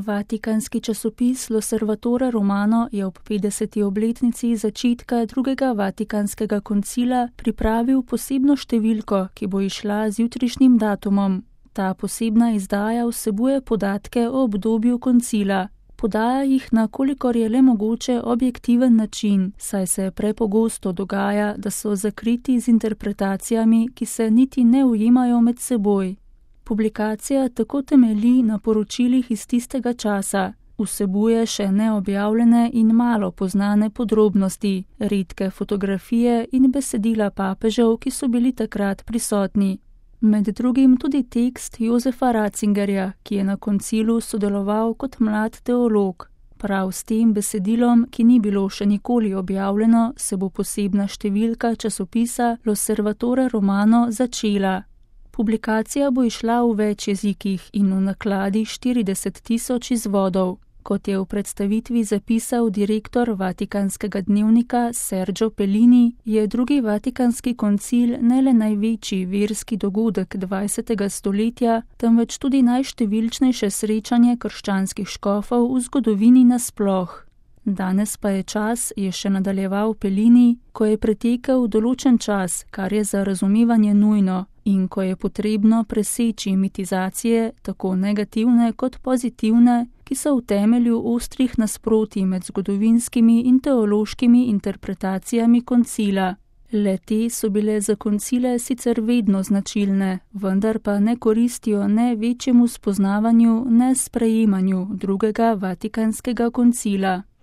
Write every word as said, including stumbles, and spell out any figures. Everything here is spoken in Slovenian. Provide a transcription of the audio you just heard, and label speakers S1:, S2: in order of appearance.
S1: Vatikanski časopis L'Osservatore Romano je ob petdeseti obletnici začetka drugega Vatikanskega koncila pripravil posebno številko, ki bo izšla z jutrišnjim datumom. Ta posebna izdaja vsebuje podatke o obdobju koncila. Podaja jih na kolikor je le mogoče objektiven način, saj se prepogosto dogaja, da so zakriti z interpretacijami, ki se niti ne ujemajo med seboj. Publikacija tako temelji na poročilih iz tistega časa, vsebuje še neobjavljene in malo poznane podrobnosti, redke fotografije in besedila papežev, ki so bili takrat prisotni. Med drugim tudi tekst Josefa Ratzingerja, ki je na koncilu sodeloval kot mlad teolog. Prav s tem besedilom, ki ni bilo še nikoli objavljeno, se bo posebna številka časopisa L'Osservatore Romano začela. Publikacija bo izšla v več jezikih in v nakladi štirideset tisoč izvodov. Kot je v predstavitvi zapisal direktor Vatikanskega dnevnika Sergio Pellini, je drugi Vatikanski koncil ne le največji verski dogodek dvajsetega stoletja, temveč tudi najštevilčnejše srečanje krščanskih škofov v zgodovini nasploh. Danes pa je čas, je še nadaljeval Pellini, ko je pretekel določen čas, kar je za razumevanje nujno, in ko je potrebno preseči mitizacije, tako negativne kot pozitivne, ki so v temelju ostrih nasprotij med zgodovinskimi in teološkimi interpretacijami koncila. Le-te so bile za koncile sicer vedno značilne, vendar pa ne koristijo ne večjemu spoznavanju, ne sprejemanju drugega Vatikanskega koncila.